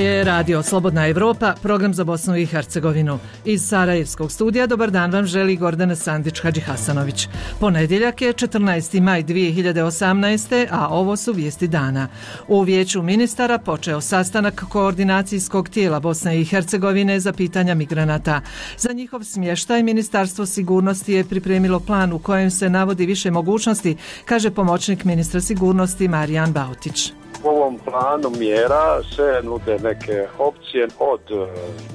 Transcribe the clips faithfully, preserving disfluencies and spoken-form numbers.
je Radio Slobodna Evropa, program za Bosnu i Hercegovinu. Iz Sarajevskog studija dobar dan vam želi Gordana Sandić-Hadžihasanović. Ponedjeljak je četrnaesti maj dvije hiljade osamnaeste. a ovo su vijesti dana. U Vijeću ministara počeo sastanak koordinacijskog tijela Bosne i Hercegovine za pitanja migranata. Za njihov smještaj Ministarstvo sigurnosti je pripremilo plan u kojem se navodi više mogućnosti, kaže pomoćnik ministra sigurnosti Marijan Bautić. U ovom planu mjera se nude neke opcije od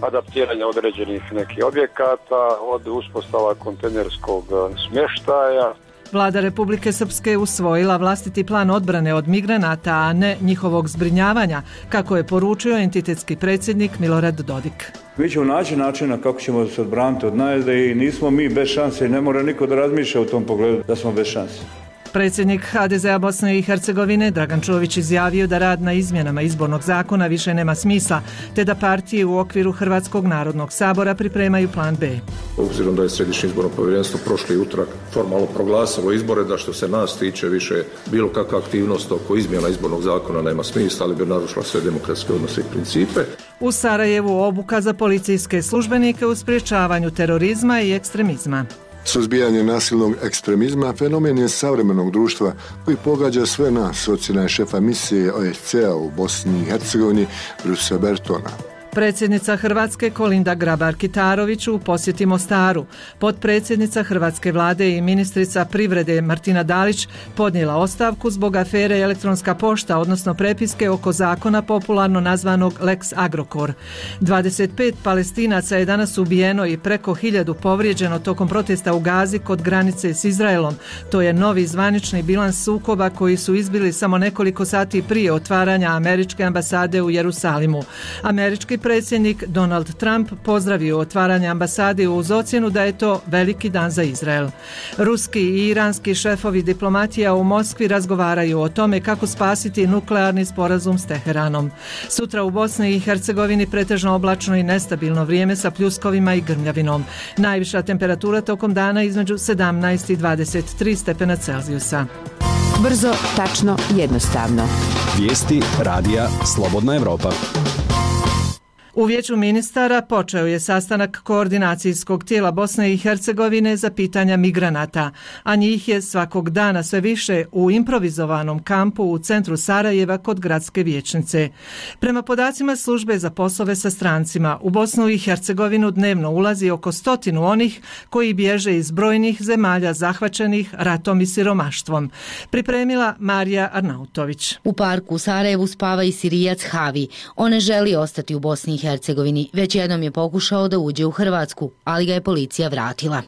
adaptiranja određenih nekih objekata, od uspostava kontejnerskog smještaja. Vlada Republike Srpske usvojila vlastiti plan odbrane od migranata, a ne njihovog zbrinjavanja, kako je poručio entitetski predsjednik Milorad Dodik. Mi ćemo naći načina kako ćemo se odbraniti od najezde i nismo mi bez šanse i ne mora niko da razmišlja u tom pogledu da smo bez šanse. Predsjednik ha de ze a Bosne i Hercegovine Dragan Čović izjavio da rad na izmjenama izbornog zakona više nema smisla, te da partije u okviru Hrvatskog narodnog sabora pripremaju plan B. Obzirom da je Središnje izborno povjerenstvo prošli utorak formalno proglasilo izbore, da što se nas tiče više bilo kakva aktivnost oko izmjena izbornog zakona nema smisla, ali bi narušila sve demokratske odnose i principe. U Sarajevu obuka za policijske službenike u sprječavanju terorizma i ekstremizma. Suzbijanje nasilnog ekstremizma fenomen je savremenog društva koji pogađa sve nas, ocjena je šefa misije O E C a u Bosni i Hercegovini Brusa Bertona. Predsjednica Hrvatske Kolinda Grabar-Kitarović u posjeti Mostaru. Potpredsjednica Hrvatske vlade i ministrica privrede Martina Dalić podnijela ostavku zbog afere elektronska pošta, odnosno prepiske oko zakona popularno nazvanog Lex Agrokor. dvadeset pet Palestinaca je danas ubijeno i preko hiljadu povrijeđeno tokom protesta u Gazi kod granice s Izraelom. To je novi zvanični bilans sukoba koji su izbili samo nekoliko sati prije otvaranja američke ambasade u Jerusalimu. Američki predsjednik Donald Trump pozdravio otvaranje ambasade uz ocjenu da je to veliki dan za Izrael. Ruski i iranski šefovi diplomatija u Moskvi razgovaraju o tome kako spasiti nuklearni sporazum s Teheranom. Sutra u Bosni i Hercegovini pretežno oblačno i nestabilno vrijeme sa pljuskovima i grmljavinom. Najviša temperatura tokom dana između sedamnaest i dvadeset tri stepena Celzijusa. Brzo, tačno, jednostavno. Vijesti radija Slobodna Evropa. U Vijeću ministara počeo je sastanak koordinacijskog tijela Bosne i Hercegovine za pitanja migranata, a njih je svakog dana sve više u improvizovanom kampu u centru Sarajeva kod gradske vijećnice. Prema podacima službe za poslove sa strancima, u Bosnu i Hercegovinu dnevno ulazi oko stotinu onih koji bježe iz brojnih zemalja zahvaćenih ratom i siromaštvom. Pripremila Marija Arnautović. U parku u Sarajevu spava i Sirijac Havi. On ne želi ostati u Bosni i Hercegovini. Već jednom je pokušao da uđe u Hrvatsku, ali ga je policija vratila.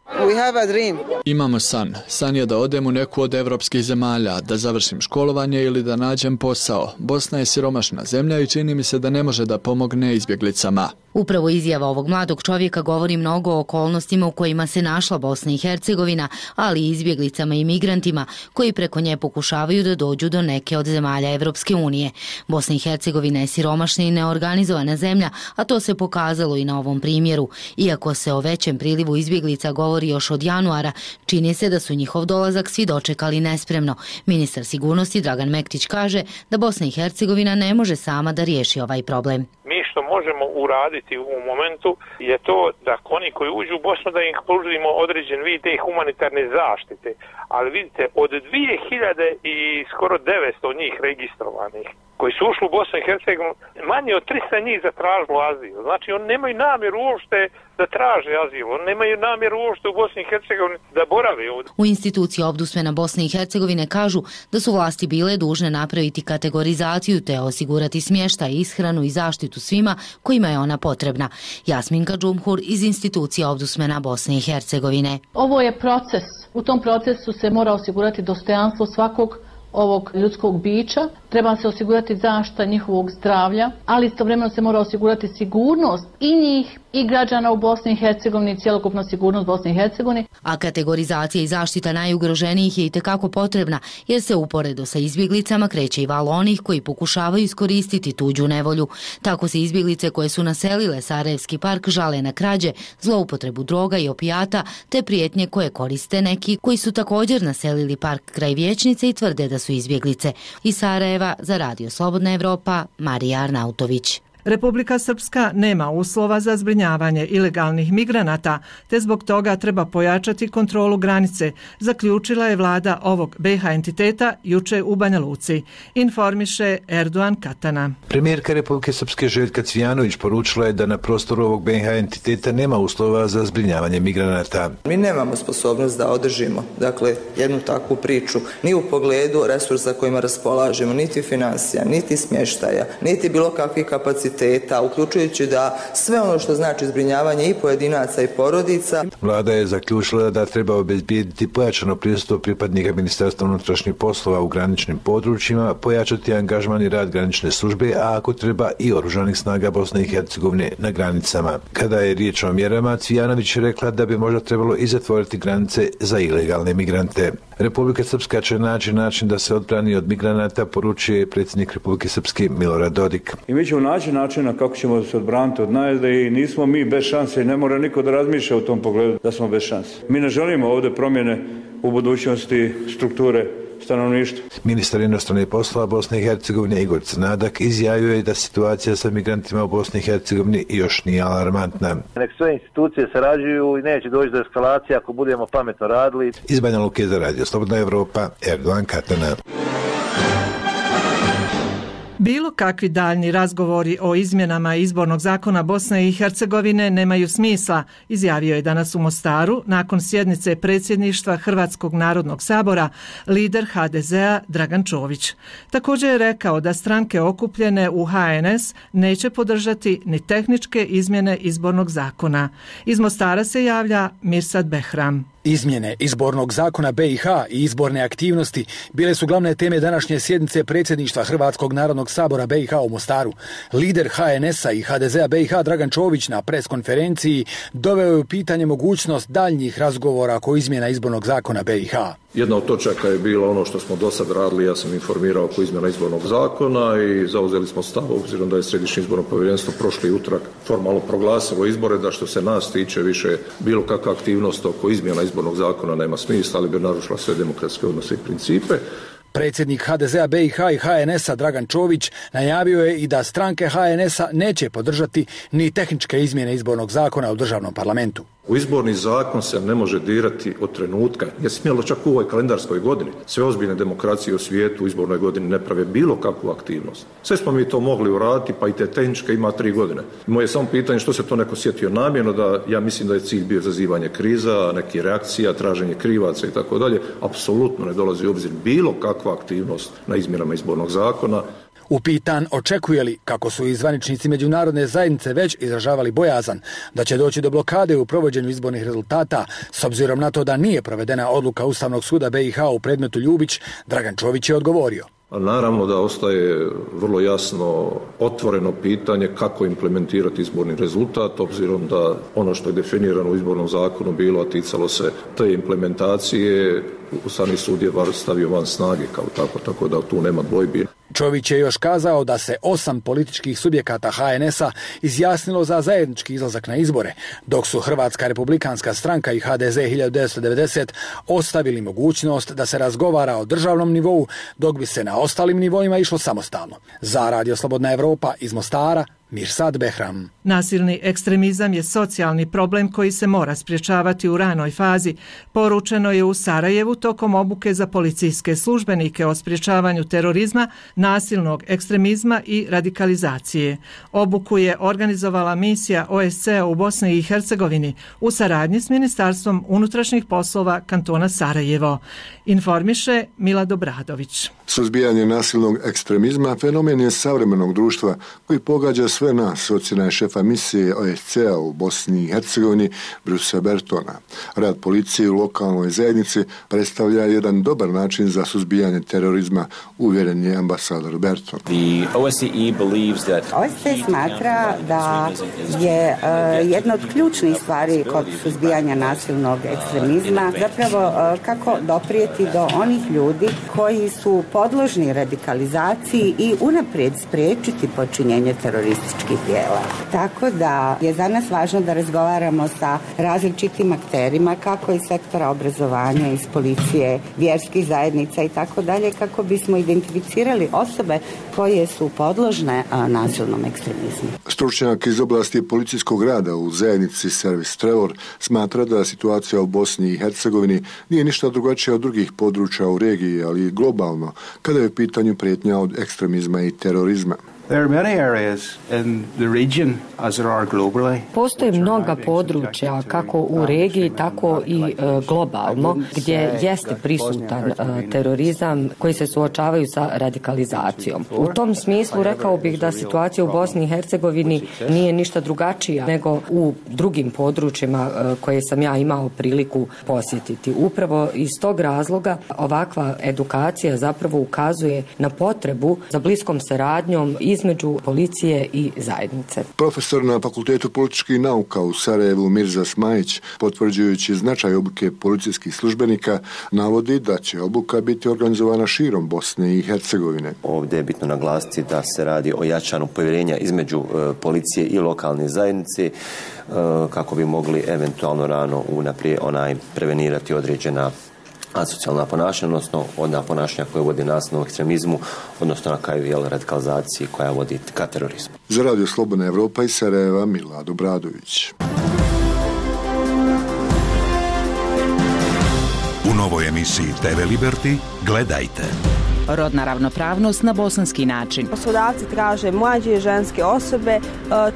Imamo san. San je da odem u neku od evropskih zemalja, da završim školovanje ili da nađem posao. Bosna je siromašna zemlja i čini mi se da ne može da pomogne izbjeglicama. Upravo izjava ovog mladog čovjeka govori mnogo o okolnostima u kojima se našla Bosna i Hercegovina, ali i izbjeglicama i migrantima koji preko nje pokušavaju da dođu do neke od zemalja Evropske unije. Bosna i Hercegovina je siromašna i neorganizovana zemlja, a to se pokazalo i na ovom primjeru. Iako se o većem prilivu izbjeglica govori još od januara, čini se da su njihov dolazak svi dočekali nespremno. Ministar sigurnosti Dragan Mektić kaže da Bosna i Hercegovina ne može sama da riješi ovaj problem. Mi što možemo uraditi u ovom momentu je to da oni koji uđu u Bosnu da im pružimo određen vid te humanitarne zaštite. Ali vidite, od dvije hiljade i skoro devetsto njih registrovanih koji su ušli u Bosnu i Hercegovinu, manje od tristo njih zatražilo azil. Znači, oni nemaju namjeru uopšte da traže azil. Oni nemaju namjeru uopšte u Bosni i Hercegovini da borave ovdje. U instituciji Ombudsmana Bosne i Hercegovine kažu da su vlasti bile dužne napraviti kategorizaciju te osigurati smještaj, ishranu i zaštitu svima kojima je ona potrebna. Jasminka Džumhur iz institucije Ombudsmana Bosne i Hercegovine. Ovo je proces. U tom procesu se mora osigurati dostojanstvo svakog ovog ljudskog bića, treba se osigurati zaštita njihovog zdravlja, ali istovremeno se mora osigurati sigurnost i njih i građana u Bosni i Hercegovini, cjelokupna sigurnost Bosne i Hercegovine. A kategorizacija i zaštita najugroženijih je itekako potrebna, jer se uporedo sa izbjeglicama kreće i val onih koji pokušavaju iskoristiti tuđu nevolju. Tako se izbjeglice koje su naselile Sarajevski park žale na krađe, zloupotrebu droga i opijata, te prijetnje koje koriste neki koji su također naselili park kraj vijećnice i tvrde da su izbjeglice. Iz Sarajeva za Radio Slobodna Evropa, Marija Arnautović. Republika Srpska nema uslova za zbrinjavanje ilegalnih migranata, te zbog toga treba pojačati kontrolu granice, zaključila je vlada ovog B iH entiteta juče u Banja Luci, informiše Erdogan Katana. Premijerka Republike Srpske Željka Cvijanović poručila je da na prostoru ovog B iH entiteta nema uslova za zbrinjavanje migranata. Mi nemamo sposobnost da održimo, dakle, jednu takvu priču, ni u pogledu resursa kojima raspolažemo, niti financija, niti smještaja, niti bilo kakvih kapaciteta, uključujući da sve ono što znači zbrinjavanje i pojedinaca i porodica. Vlada je zaključila da treba obezbijediti pojačano prisustvo pripadnika Ministarstva unutrašnjih poslova u graničnim područjima, pojačati angažman i rad granične službe, a ako treba i oružanih snaga Bosne i Hercegovine na granicama. Kada je riječ o mjerama, Cvijanović je rekla da bi možda trebalo i zatvoriti granice za ilegalne migrante. Republika Srpska će naći način da se odbrani od migranata, poručuje predsjednik Republike Srpske Milorad Dodik. I mi ćemo naći načina kako ćemo se odbraniti od najezde i nismo mi bez šanse i ne mora niko da razmišlja u tom pogledu da smo bez šanse. Mi ne želimo ovdje promjene u budućnosti strukture stanovništva. Ministar inostranih poslova Bosne i Hercegovine Igor Crnadak izjavio je da situacija sa migrantima u Bosni i Hercegovini još nije alarmantna. Nek sve institucije sarađuju i neće doći do eskalacije ako budemo pametno radili. Iz Banja Luke za Radio Slobodna Evropa, Erdogan Katana. Bilo kakvi daljni razgovori o izmjenama izbornog zakona Bosne i Hercegovine nemaju smisla, izjavio je danas u Mostaru nakon sjednice predsjedništva Hrvatskog narodnog sabora lider ha de zea Dragan Čović. Također je rekao da stranke okupljene u ha en es neće podržati ni tehničke izmjene izbornog zakona. Iz Mostara se javlja Mirsad Behram. Izmjene izbornog zakona B iH i izborne aktivnosti bile su glavne teme današnje sjednice predsjedništva Hrvatskog narodnog sabora B iH u Mostaru. Lider ha en esa i ha de zea B iH Dragan Čović na preskonferenciji doveo je u pitanje mogućnost daljnjih razgovora oko izmjena izbornog zakona B iH. Jedna od točaka je bila ono što smo do sad radili, ja sam informirao oko izmjena izbornog zakona i zauzeli smo stav, obzirom da je Središnje izborno povjerenstvo prošli utorak formalno proglasilo izbore, da što se nas tiče više bilo kakva aktivnost oko izmjena izbornog zakona nema smisla, ali bi narušila sve demokratske odnose i principe. Predsjednik ha de zea B iH i ha en esa Dragan Čović najavio je i da stranke ha en esa neće podržati ni tehničke izmjene izbornog zakona u državnom parlamentu. U izborni zakon se ne može dirati od trenutka, je smjelo čak u ovoj kalendarskoj godini. Sve ozbiljne demokracije u svijetu u izbornoj godini ne prave bilo kakvu aktivnost. Sve smo mi to mogli uraditi, pa i te tehničke ima tri godine. Moje samo pitanje što se to neko sjetio namjerno, da ja mislim da je cilj bio zazivanje kriza, neki reakcija, traženje krivaca i tako dalje. Apsolutno ne dolazi u obzir bilo kakva aktivnost na izmjenama izbornog zakona. Upitan očekuje li, kako su i zvaničnici međunarodne zajednice već izražavali bojazan, da će doći do blokade u provođenju izbornih rezultata, s obzirom na to da nije provedena odluka Ustavnog suda B iH u predmetu Ljubić, Dragan Čović je odgovorio. Naravno da ostaje vrlo jasno otvoreno pitanje kako implementirati izborni rezultat, obzirom da ono što je definirano u izbornom zakonu bilo, a ticalo se te implementacije, Ustavni sud je stavio van snage kao tako, tako da tu nema dvojbi. Čović je još kazao da se osam političkih subjekata ha en esa izjasnilo za zajednički izlazak na izbore, dok su Hrvatska republikanska stranka i ha de ze hiljadu devetsto devedeset ostavili mogućnost da se razgovara o državnom nivou, dok bi se na ostalim nivoima išlo samostalno. Za Radio Slobodna Evropa iz Mostara, Mirsad Behram. Nasilni ekstremizam je socijalni problem koji se mora sprječavati u ranoj fazi. Poručeno je u Sarajevu tokom obuke za policijske službenike o sprječavanju terorizma, nasilnog ekstremizma i radikalizacije. Obuku je organizovala misija o es ce a u Bosni i Hercegovini u saradnji s Ministarstvom unutrašnjih poslova kantona Sarajevo. Informiše Milad Obradović. Suzbijanje nasilnog ekstremizma fenomen je savremenog društva koji pogađa sve nas, ocjena je šefa misije o es ce a u Bosni i Hercegovini Brusa Bertona. Rad policije u lokalnoj zajednici predstavlja jedan dobar način za suzbijanje terorizma, uvjeren je ambasador Berton. o es ce smatra da je uh, jedna od ključnih stvari kod suzbijanja nasilnog ekstremizma zapravo uh, kako doprijeti do onih ljudi koji su podložni radikalizaciji i unaprijed spriječiti počinjenje terorističkih terorističkih dijela. Tako da je za nas važno da razgovaramo sa različitim akterima, kako iz sektora obrazovanja, iz policije, vjerskih zajednica i tako dalje, kako bismo identificirali osobe koje su podložne nasilnom ekstremizmu. Stručnjak iz oblasti policijskog rada u zajednici Servis Trevor smatra da situacija u Bosni i Hercegovini nije ništa drugačija od drugih područja u regiji, ali i globalno, kada je u pitanju prijetnja od ekstremizma i terorizma. Postoje mnoga područja, kako u regiji, tako i e, globalno, gdje jeste prisutan e, terorizam koji se suočavaju sa radikalizacijom. U tom smislu rekao bih da situacija u Bosni i Hercegovini nije ništa drugačija nego u drugim područjima e, koje sam ja imao priliku posjetiti. Upravo iz tog razloga ovakva edukacija zapravo ukazuje na potrebu za bliskom saradnjom između policije i zajednice. Profesor na Fakultetu političkih nauka u Sarajevu Mirza Smajić, potvrđujući značaj obuke policijskih službenika, navodi da će obuka biti organizovana širom Bosne i Hercegovine. Ovdje je bitno naglasiti da se radi o jačanju povjerenja između e, policije i lokalne zajednice e, kako bi mogli eventualno rano unaprijed onaj prevenirati određena asocijalna ponašanja, odnosno ona ponašanja koje vodi nasilnom ekstremizmu, odnosno na kraju jel, radikalizaciji koja vodi ka terorizmu. Za Radio Slobodna Evropa iz Sarajeva, Milad Obradović. U novoj emisiji te ve Liberty gledajte. Rodna ravnopravnost na bosanski način. Poslodavci traže mlađe ženske osobe,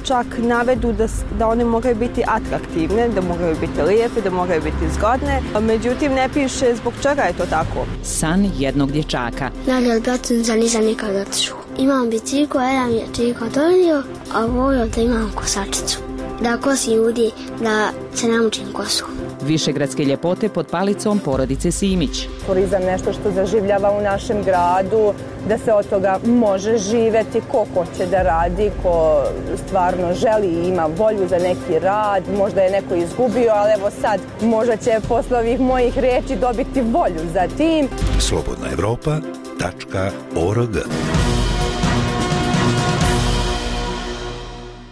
čak navedu da, da one moraju biti atraktivne, da moraju biti lijepe, da moraju biti zgodne. Međutim, ne piše zbog čega je to tako. San jednog dječaka. Ja od bratunca nisam nikad otišao. Imam biciklu, jedan je čiko donio, a volio da imam kosačicu. Da kosim ljudi, da se naučim kosu. Višegradske ljepote pod palicom porodice Simić. Turizam nešto što zaživljava u našem gradu, da se od toga može živjeti, ko hoće da radi, ko stvarno želi i ima volju za neki rad, možda je neko izgubio, ali evo sad možda će posle ovih mojih reči dobiti volju za tim. slobodna evropa tačka org.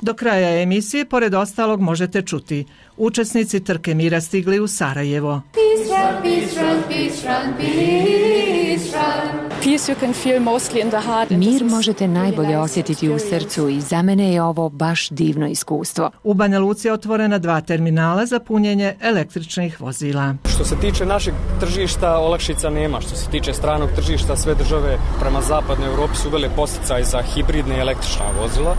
Do kraja emisije, pored ostalog, možete čuti: učesnici trke mira stigli u Sarajevo. Peace run, peace run, peace run, peace run. Peace you can feel mostly in the heart. Mir možete najbolje osjetiti u srcu i za mene je ovo baš divno iskustvo. U Banja Luci je otvorena dva terminala za punjenje električnih vozila. Što se tiče našeg tržišta, olakšica nema. Što se tiče stranog tržišta, sve države prema zapadnoj Europi su uvele podsticaj za hibridne i električna vozila.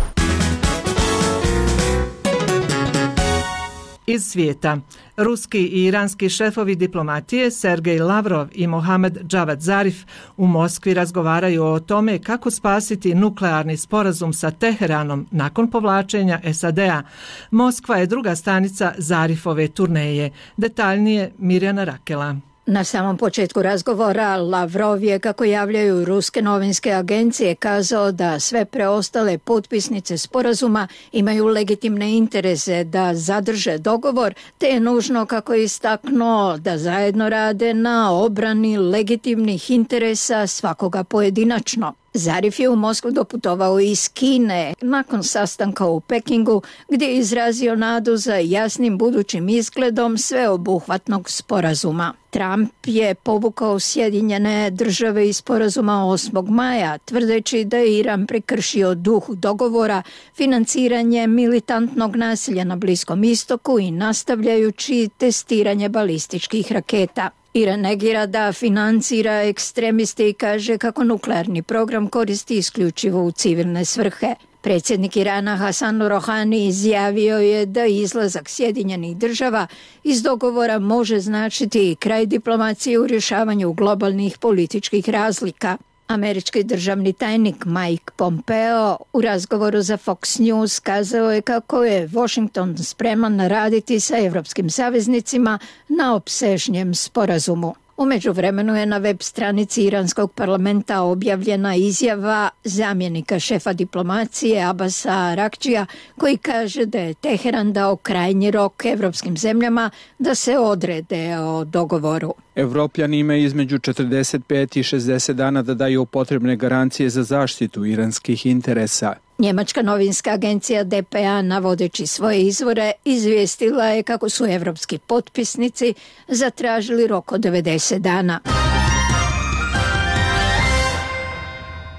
Iz svijeta. Ruski i iranski šefovi diplomatije Sergej Lavrov i Mohamed Javad Zarif u Moskvi razgovaraju o tome kako spasiti nuklearni sporazum sa Teheranom nakon povlačenja es a de a. Moskva je druga stanica Zarifove turneje. Detaljnije Mirjana Rakela. Na samom početku razgovora Lavrov je, kako javljaju ruske novinske agencije, kazao da sve preostale potpisnice sporazuma imaju legitimne interese da zadrže dogovor, te je nužno, kako je istaknuo, da zajedno rade na obrani legitimnih interesa svakoga pojedinačno. Zarif je u Moskvu doputovao iz Kine nakon sastanka u Pekingu, gdje je izrazio nadu za jasnim budućim izgledom sveobuhvatnog sporazuma. Trump je povukao Sjedinjene države iz sporazuma osmog maja, tvrdeći da je Iran prekršio duh dogovora financiranje militantnog nasilja na Bliskom istoku i nastavljajući testiranje balističkih raketa. Iran negira da financira ekstremiste i kaže kako nuklearni program koristi isključivo u civilne svrhe. Predsjednik Irana Hasan Rohani izjavio je da izlazak Sjedinjenih država iz dogovora može značiti kraj diplomacije u rješavanju globalnih političkih razlika. Američki državni tajnik Mike Pompeo u razgovoru za Fox News kazao je kako je Washington spreman raditi sa evropskim saveznicima na opsežnijem sporazumu. U međuvremenu je na web stranici iranskog parlamenta objavljena izjava zamjenika šefa diplomacije Abasa Arakčija, koji kaže da je Teheran dao krajnji rok evropskim zemljama da se odrede o dogovoru. Evropljani imaju između četrdeset pet i šezdeset dana da daju potrebne garancije za zaštitu iranskih interesa. Njemačka novinska agencija D P A, navodeći svoje izvore, izvijestila je kako su evropski potpisnici zatražili rok od devedeset dana.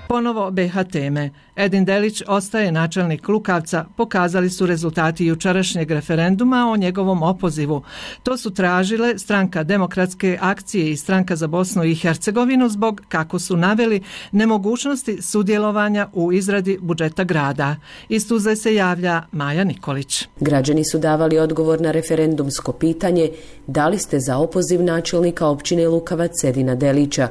Ponovo B H teme. Edin Delić ostaje načelnik Lukavca, pokazali su rezultati jučerašnjeg referenduma o njegovom opozivu. To su tražile Stranka demokratske akcije i Stranka za Bosnu i Hercegovinu zbog, kako su naveli, nemogućnosti sudjelovanja u izradi budžeta grada. Iz Tuzle se javlja Maja Nikolić. Građani su davali odgovor na referendumsko pitanje da li ste za opoziv načelnika općine Lukavac Edina Delića.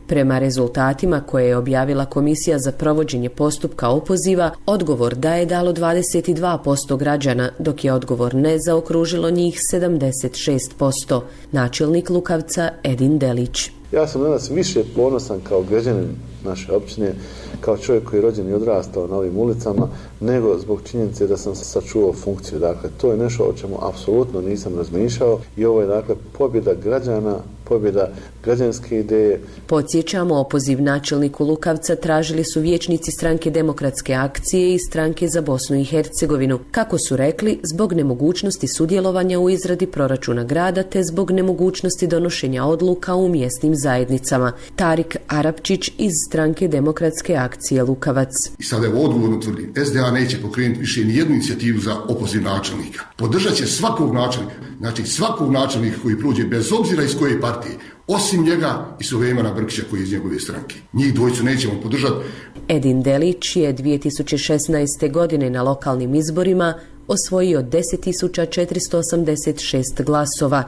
Prema rezultatima koje je objavila Komisija za provođenje postupka opoziva, odgovor da je dalo dvadeset dva posto građana, dok je odgovor ne zaokružilo njih sedamdeset šest posto. Načelnik Lukavca Edin Delić. Ja sam danas više ponosan kao građanin naše općine, kao čovjek koji je rođen i odrastao na ovim ulicama, nego zbog činjenice da sam sačuvao funkciju. Dakle, to je nešto o čemu apsolutno nisam razmišljao i ovo je, dakle, pobjeda građana, pobjeda građanske ideje. Podsjećamo, opoziv načelniku Lukavca tražili su vijećnici Stranke demokratske akcije i Stranke za Bosnu i Hercegovinu. Kako su rekli, zbog nemogućnosti sudjelovanja u izradi proračuna grada te zbog nemogućnosti donošenja odluka u mjesnim zajednicama. Tarik Arapčić iz Stranke demokratske akcije Lukavac. I sada je odgovorno tvrdim, S D A neće pokrenuti više ni jednu inicijativu za opoziv načelnika. Podržat će svakog načelnika, znači svakog načelnika koji prođe bez obzira iz koje partije, osim njega i Sulejmana Brkića koji je iz njegove stranke. Njih dvojicu nećemo podržati. Edin Delić je dvije tisuće šesnaeste. godine na lokalnim izborima osvojio deset tisuća četiristo osamdeset šest glasova,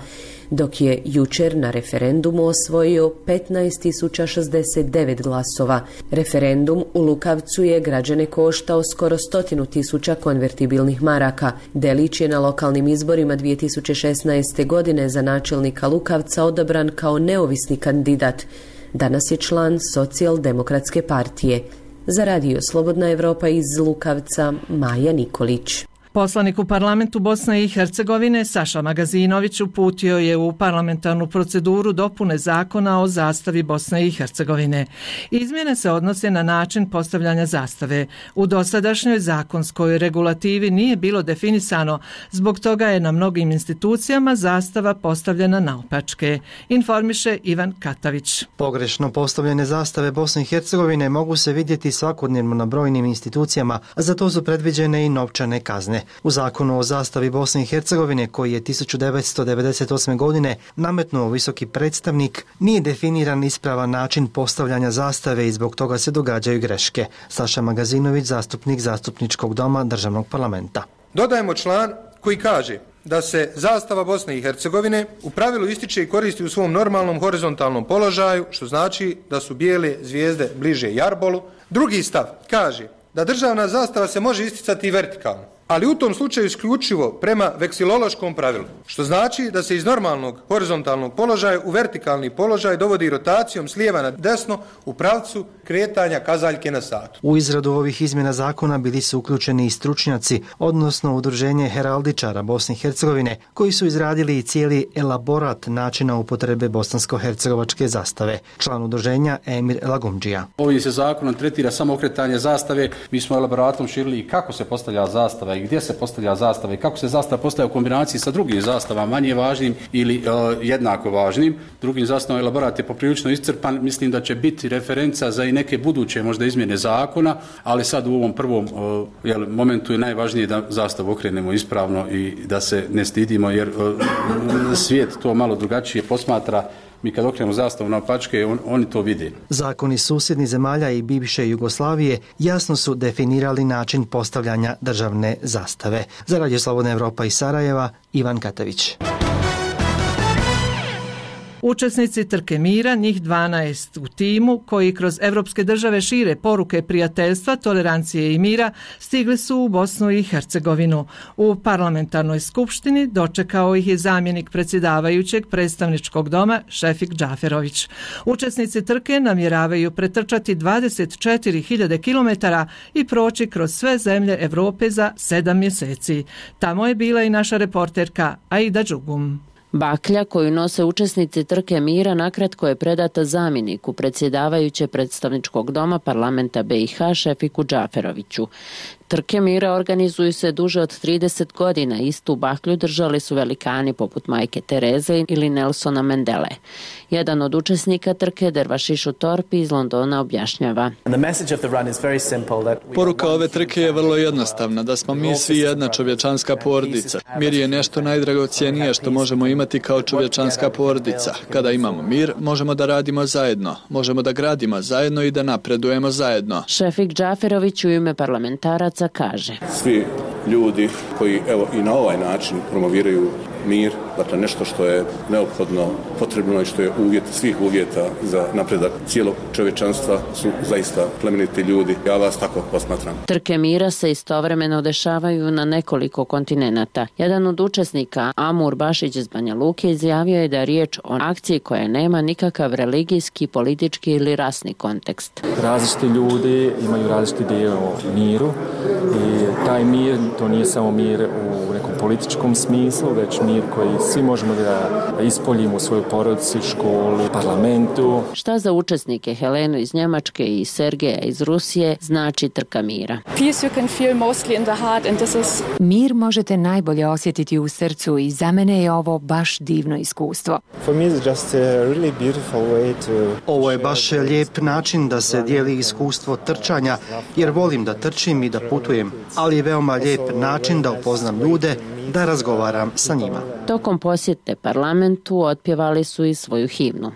dok je jučer na referendumu osvojio petnaest tisuća šezdeset devet glasova. Referendum u Lukavcu je građane koštao skoro stotinu tisuća konvertibilnih maraka. Delić je na lokalnim izborima dvije tisuće šesnaeste. godine za načelnika Lukavca odabran kao neovisni kandidat. Danas je član Socijaldemokratske partije. Za Radio Slobodna Evropa iz Lukavca, Maja Nikolić. Poslanik u parlamentu Bosne i Hercegovine Saša Magazinović uputio je u parlamentarnu proceduru dopune zakona o zastavi Bosne i Hercegovine. Izmjene se odnose na način postavljanja zastave. U dosadašnjoj zakonskoj regulativi nije bilo definisano, zbog toga je na mnogim institucijama zastava postavljena naopačke, informiše Ivan Katavić. Pogrešno postavljene zastave Bosne i Hercegovine mogu se vidjeti svakodnevno na brojnim institucijama, a za to su predviđene i novčane kazne. U zakonu o zastavi Bosne i Hercegovine, koji je tisuću devetsto devedeset osme. godine nametnuo visoki predstavnik, nije definiran ispravan način postavljanja zastave i zbog toga se događaju greške. Saša Magazinović, zastupnik Zastupničkog doma Državnog parlamenta. Dodajemo član koji kaže da se zastava Bosne i Hercegovine u pravilu ističe i koristi u svom normalnom horizontalnom položaju, što znači da su bijele zvijezde bliže jarbolu. Drugi stav kaže da državna zastava se može isticati i vertikalno, ali u tom slučaju isključivo prema veksilološkom pravilu, što znači da se iz normalnog horizontalnog položaja u vertikalni položaj dovodi rotacijom s lijeva na desno u pravcu kretanja kazaljke na satu. U izradu ovih izmjena zakona bili su uključeni i stručnjaci, odnosno Udruženje heraldičara Bosne i Hercegovine, koji su izradili i cijeli elaborat načina upotrebe bosansko-hercegovačke zastave. Član udruženja Emir Lagumdžija. Ovim se zakonom tretira samo okretanje zastave. Mi smo elaboratom širili i kako se postavlja zastava i gdje se postavlja zastava i kako se zastava postavlja u kombinaciji sa drugim zastavama, manje važnim ili uh, jednako važnim. Drugim zastavom elaborat je poprilično iscrpan. Mislim da će biti referenca za i neke buduće možda izmjene zakona, ali sad u ovom prvom uh, jel, momentu je najvažnije da zastavu okrenemo ispravno i da se ne stidimo, jer uh, svijet to malo drugačije posmatra. Mi kad okrenemo zastavu na opačke, on, oni to vide. Zakoni susjednih zemalja i bivše Jugoslavije jasno su definirali način postavljanja državne zastave. Za Radio Slobodna Evropa iz Sarajeva, Ivan Katavić. Učesnici trke mira, njih dvanaest u timu, koji kroz evropske države šire poruke prijateljstva, tolerancije i mira, stigli su u Bosnu i Hercegovinu. U parlamentarnoj skupštini dočekao ih je zamjenik predsjedavajućeg predstavničkog doma Šefik Džaferović. Učesnici trke namjeravaju pretrčati dvadeset četiri hiljade kilometara i proći kroz sve zemlje Evrope za sedam mjeseci. Tamo je bila i naša reporterka Aida Đugum. Baklja koju nose učesnici trke mira nakratko je predata zamjeniku predsjedavajuće predstavničkog doma parlamenta B i H Šefiku Džaferoviću. Trke mira organizuju se duže od trideset godina. Istu baklju držali su velikani poput Majke Tereze ili Nelsona Mandele. Jedan od učesnika trke, Dervašišu Torpi iz Londona, objašnjava. Poruka ove trke je vrlo jednostavna, da smo mi svi jedna čovječanska porodica. Mir je nešto najdragocjenije što možemo imati kao čovječanska porodica. Kada imamo mir, možemo da radimo zajedno, možemo da gradimo zajedno i da napredujemo zajedno. Šefik Džaferović u ime parlamentaraca kaže. Svi ljudi koji evo i na ovaj način promoviraju mir, dakle nešto što je neophodno, potrebno i što je uvjet svih uvjeta za napredak cijelog čovječanstva su zaista plemeniti ljudi. Ja vas tako posmatram. Trke mira se istovremeno dešavaju na nekoliko kontinenata. Jedan od učesnika, Amur Bašić iz Banja Luke, izjavio je da je riječ o akciji koja nema nikakav religijski, politički ili rasni kontekst. Različiti ljudi imaju različiti dio o miru i taj mir, to nije samo mir u nekom političkom smislu, već mir koji svi možemo da ispoljimo u svojoj porodici, školi, parlamentu. Šta za učesnike Helenu iz Njemačke i Sergeja iz Rusije znači trka mira? Mir možete najbolje osjetiti u srcu i za mene je ovo baš divno iskustvo. Ovo je baš lijep način da se dijeli iskustvo trčanja, jer volim da trčim i da putujem, ali je veoma lijep način da upoznam ljude, da razgovaram sa njima. Tokom posjete parlamentu otpjevali su i svoju himnu.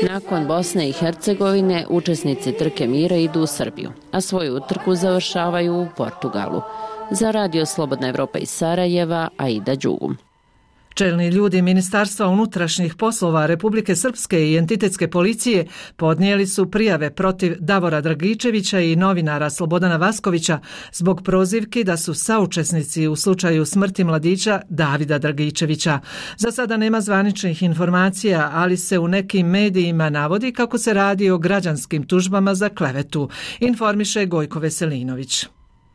Nakon Bosne i Hercegovine učesnici trke mira idu u Srbiju, a svoju utrku završavaju u Portugalu. Za Radio Slobodna Evropa iz Sarajeva, Aida Đugum. Čelni ljudi Ministarstva unutrašnjih poslova Republike Srpske i entitetske policije podnijeli su prijave protiv Davora Dragičevića i novinara Slobodana Vaskovića zbog prozivki da su saučesnici u slučaju smrti mladića Davida Dragičevića. Za sada nema zvaničnih informacija, ali se u nekim medijima navodi kako se radi o građanskim tužbama za klevetu, informiše Gojko Veselinović.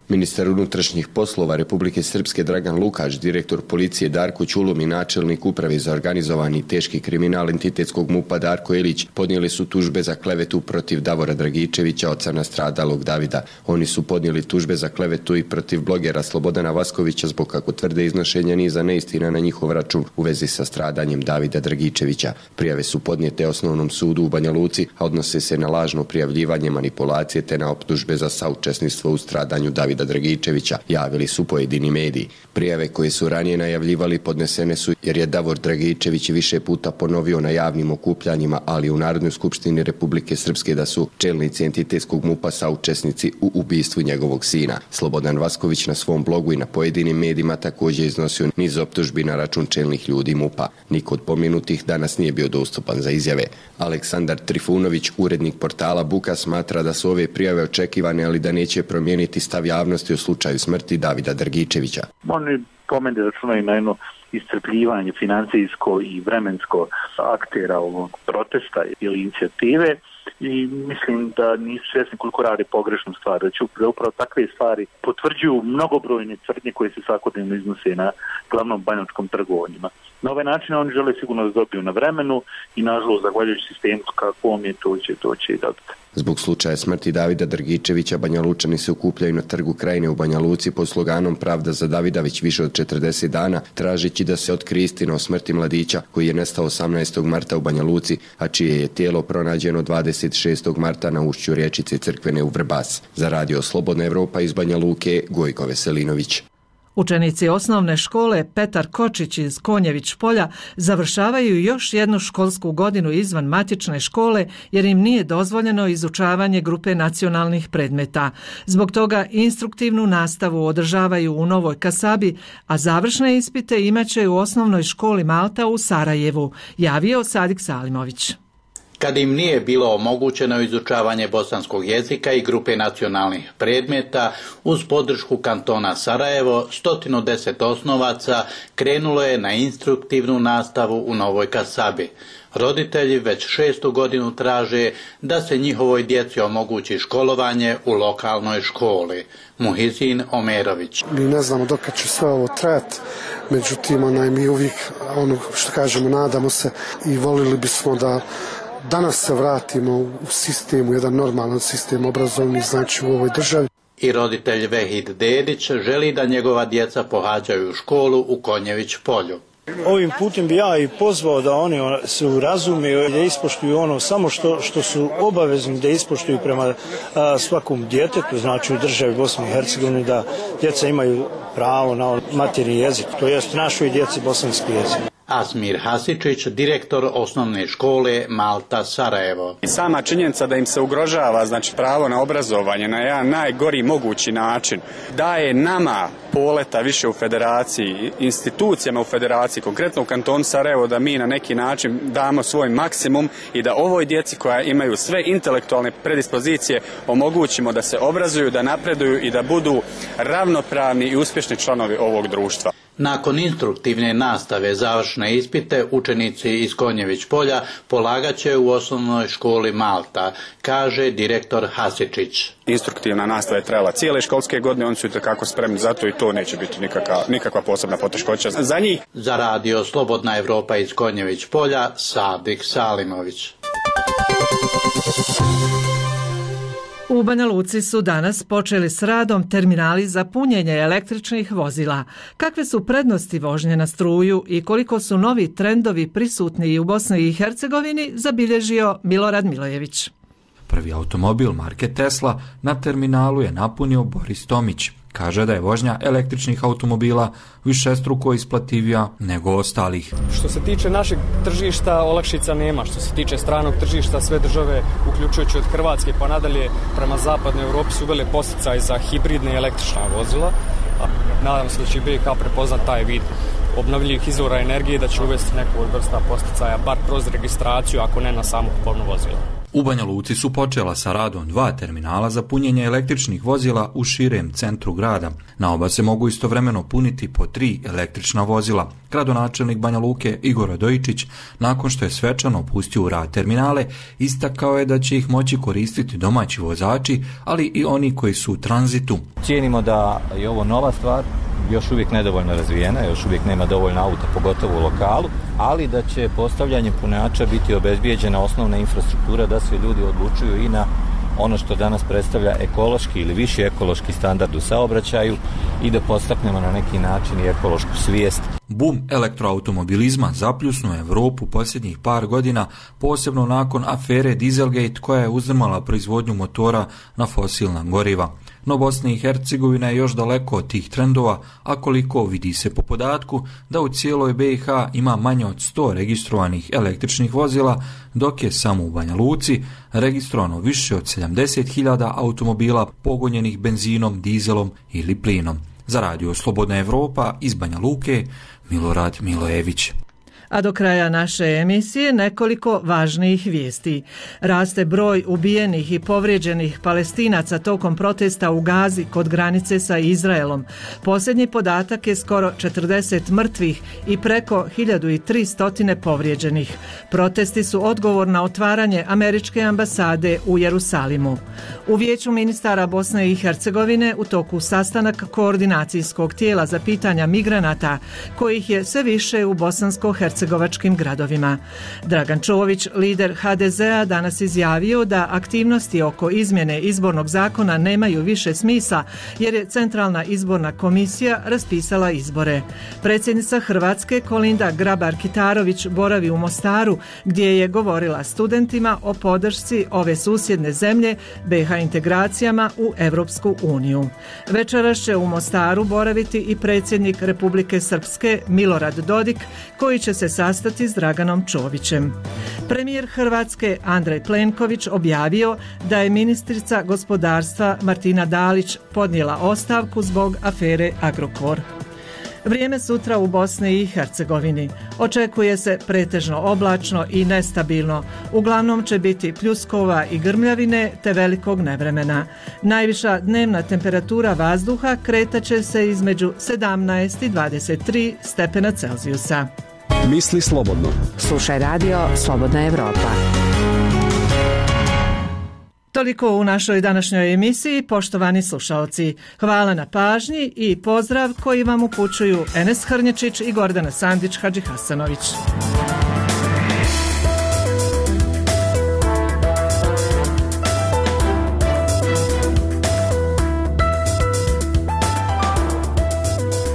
Ministar unutrašnjih poslova Republike Srpske Dragan Lukač, direktor policije Darko Ćulum i načelnik uprave za organizovani i teški kriminal entitetskog MUP-a Darko Elić podnijeli su tužbe za klevetu protiv Davora Dragičevića, oca nastradalog Davida. Oni su podnijeli tužbe za klevetu i protiv blogera Slobodana Vaskovića zbog, kako tvrde, iznošenja niza neistina na njihov račun u vezi sa stradanjem Davida Dragičevića. Prijave su podnijete Osnovnom sudu u Banja Luci, a odnose se na lažno prijavljivanje manipulacije te na optužbe za saučesništvo u stradanju Davida Dragičevića, javili su pojedini mediji. Prijave koje su ranije najavljivali podnesene su jer je Davor Dragičević više puta ponovio na javnim okupljanjima, ali u Narodnoj skupštini Republike Srpske, da su čelnici entitetskog MUP-a saučesnici u ubistvu njegovog sina. Slobodan Vasković na svom blogu i na pojedinim medijima također iznosio niz optužbi na račun čelnih ljudi MUP-a. Niko od pomenutih danas nije bio dostupan za izjave. Aleksandar Trifunović, urednik portala Buka, smatra da su ove prijave očekivane, ali da neće promijeniti stav javnosti u slučaju smrti Davida Dragičevića. Oni po meni računaju na jedno iscrpljivanje financijsko i vremensko aktera ovog protesta ili inicijative i mislim da nisu svjesni koliko radi pogrešnu stvar, da će upravo takve stvari potvrđuju mnogobrojne tvrdnje koje se svakodnevno iznose na glavnom banjačkom trgovanjima. Na ovaj način oni žele sigurno da dobiju na vremenu i nažalost zahvaljujući sistemu kakvom je to će, to će i dobiti. Zbog slučaja smrti Davida Dragičevića Banja Lučani se okupljaju na trgu Krajine u Banja Luci pod sloganom Pravda za Davida već više od četrdeset dana, tražeći da se otkrije istina o smrti mladića koji je nestao osamnaestog marta u Banja Luci, a čije je tijelo pronađeno dvadeset šestog marta na ušću riječice Crkvene u Vrbas. Za Radio Slobodna Evropa iz Banja Luke, Gojko Veselinović. Učenici osnovne škole Petar Kočić iz Konjević polja završavaju još jednu školsku godinu izvan matične škole jer im nije dozvoljeno izučavanje grupe nacionalnih predmeta. Zbog toga instruktivnu nastavu održavaju u Novoj Kasabi, a završne ispite imaće u osnovnoj školi Malta u Sarajevu, javio Sadik Salimović. kad im nije bilo omogućeno izučavanje bosanskog jezika i grupe nacionalnih predmeta, uz podršku kantona Sarajevo, sto deset osnovaca krenulo je na instruktivnu nastavu u Novoj Kasabi. Roditelji već šestu godinu traže da se njihovoj djeci omogući školovanje u lokalnoj školi. Muhizin Omerović. Mi ne znamo dokad će sve ovo trajati, međutim onaj, mi uvijek, ono što kažemo, nadamo se i volili bismo da danas se vratimo u sistem, u jedan normalan sistem obrazovni, znači u ovoj državi. I roditelj Vehid Dedić želi da njegova djeca pohađaju školu u Konjević polju. Ovim putem bi ja i pozvao da oni se urazumiju, da ispoštuju ono samo što, što su obavezni da ispoštuju prema a, svakom djetetu, znači u državi Bosne i Hercegovine, da djeca imaju pravo na materinji jezik, to jest našoj djeci bosanski jezik. Asmir Hasičić, direktor osnovne škole Malta Sarajevo. I sama činjenica da im se ugrožava, znači, pravo na obrazovanje na jedan najgori mogući način, daje nama poleta više u federaciji, institucijama u federaciji, konkretno u kantonu Sarajevo, da mi na neki način damo svoj maksimum i da ovoj djeci koja imaju sve intelektualne predispozicije omogućimo da se obrazuju, da napreduju i da budu ravnopravni i uspješni članovi ovog društva. Nakon instruktivne nastave završne ispite učenici iz Konjević polja polagaće u osnovnoj školi Malta, kaže direktor Hasičić. Instruktivna nastava je trajala cijele školske godine, oni su itekako spremni za to i to neće biti nikakva, nikakva posebna poteškoća za njih. Za radio Slobodna Evropa iz Konjević polja, Sadik Salimović. U Banja Luci su danas počeli s radom terminali za punjenje električnih vozila. Kakve su prednosti vožnje na struju i koliko su novi trendovi prisutni i u Bosni i Hercegovini, zabilježio Milorad Milojević. Prvi automobil marke Tesla na terminalu je napunio Boris Tomić. Kaže da je vožnja električnih automobila višestruko isplativija nego ostalih. Što se tiče našeg tržišta, olakšica nema. Što se tiče stranog tržišta, sve države, uključujući od Hrvatske pa nadalje prema zapadnoj Europi, su uvele podsticaj za hibridne električna vozila. Nadam se da će B i H prepoznat taj vid obnovljivih izvora energije, da će uvesti neku od vrsta podsticaja, bar kroz registraciju, ako ne na samu kupovnu vozila. U Banja Luci su počela sa radom dva terminala za punjenje električnih vozila u širem centru grada. Na oba se mogu istovremeno puniti po tri električna vozila. Gradonačelnik Banja Luke Igor Radojičić, nakon što je svečano pustio u rad terminale, istakao je da će ih moći koristiti domaći vozači, ali i oni koji su u tranzitu. Cijenimo da je ovo nova stvar, još uvijek nedovoljno razvijena, još uvijek nema dovoljno auta, pogotovo u lokalu, ali da će postavljanjem punjača biti obezbijeđena osnovna infrastruktura da se ljudi odlučuju i na ono što danas predstavlja ekološki ili viši ekološki standard u saobraćaju i da podstaknemo na neki način i ekološku svijest. Bum elektroautomobilizma zapljusnuo Evropu posljednjih par godina, posebno nakon afere Dieselgate koja je uzdrmala proizvodnju motora na fosilna goriva. No Bosna i Hercegovina je još daleko od tih trendova, a koliko vidi se po podatku da u cijeloj B i H ima manje od sto registrovanih električnih vozila, dok je samo u Banja Luci registrovano više od sedamdeset hiljada automobila pogonjenih benzinom, dizelom ili plinom. Za radio Slobodna Evropa iz Banja Luke, Milorad Milojević. A do kraja naše emisije nekoliko važnijih vijesti. Raste broj ubijenih i povrijeđenih Palestinaca tokom protesta u Gazi kod granice sa Izraelom. Posljednji podatak je skoro četrdeset mrtvih i preko hiljadu tristo povrijeđenih. Protesti su odgovor na otvaranje američke ambasade u Jerusalimu. U Vijeću ministara Bosne i Hercegovine u toku sastanak koordinacijskog tijela za pitanja migranata, kojih je sve više u bosansko-hercegovinskim hercegovačkim gradovima. Dragan Čović, lider H D Z-a, danas izjavio da aktivnosti oko izmjene izbornog zakona nemaju više smisla jer je Centralna izborna komisija raspisala izbore. Predsjednica Hrvatske Kolinda Grabar-Kitarović boravi u Mostaru gdje je govorila studentima o podršci ove susjedne zemlje B i H integracijama u Europsku uniju. Večeras će u Mostaru boraviti i predsjednik Republike Srpske Milorad Dodik, koji će se sastati s Draganom Čovićem. Premijer Hrvatske Andrej Plenković objavio da je ministrica gospodarstva Martina Dalić podnijela ostavku zbog afere Agrokor. Vrijeme sutra u Bosni i Hercegovini. Očekuje se pretežno oblačno i nestabilno. Uglavnom će biti pljuskova i grmljavine te velikog nevremena. Najviša dnevna temperatura vazduha kretaće se između sedamnaest i dvadeset tri stepena Celzijusa. Misli slobodno. Slušaj radio Slobodna Evropa. Toliko u našoj današnjoj emisiji, poštovani slušaoci. Hvala na pažnji i pozdrav koji vam upućuju Enes Hrnječić i Gordana Sandić Hadžihasanović.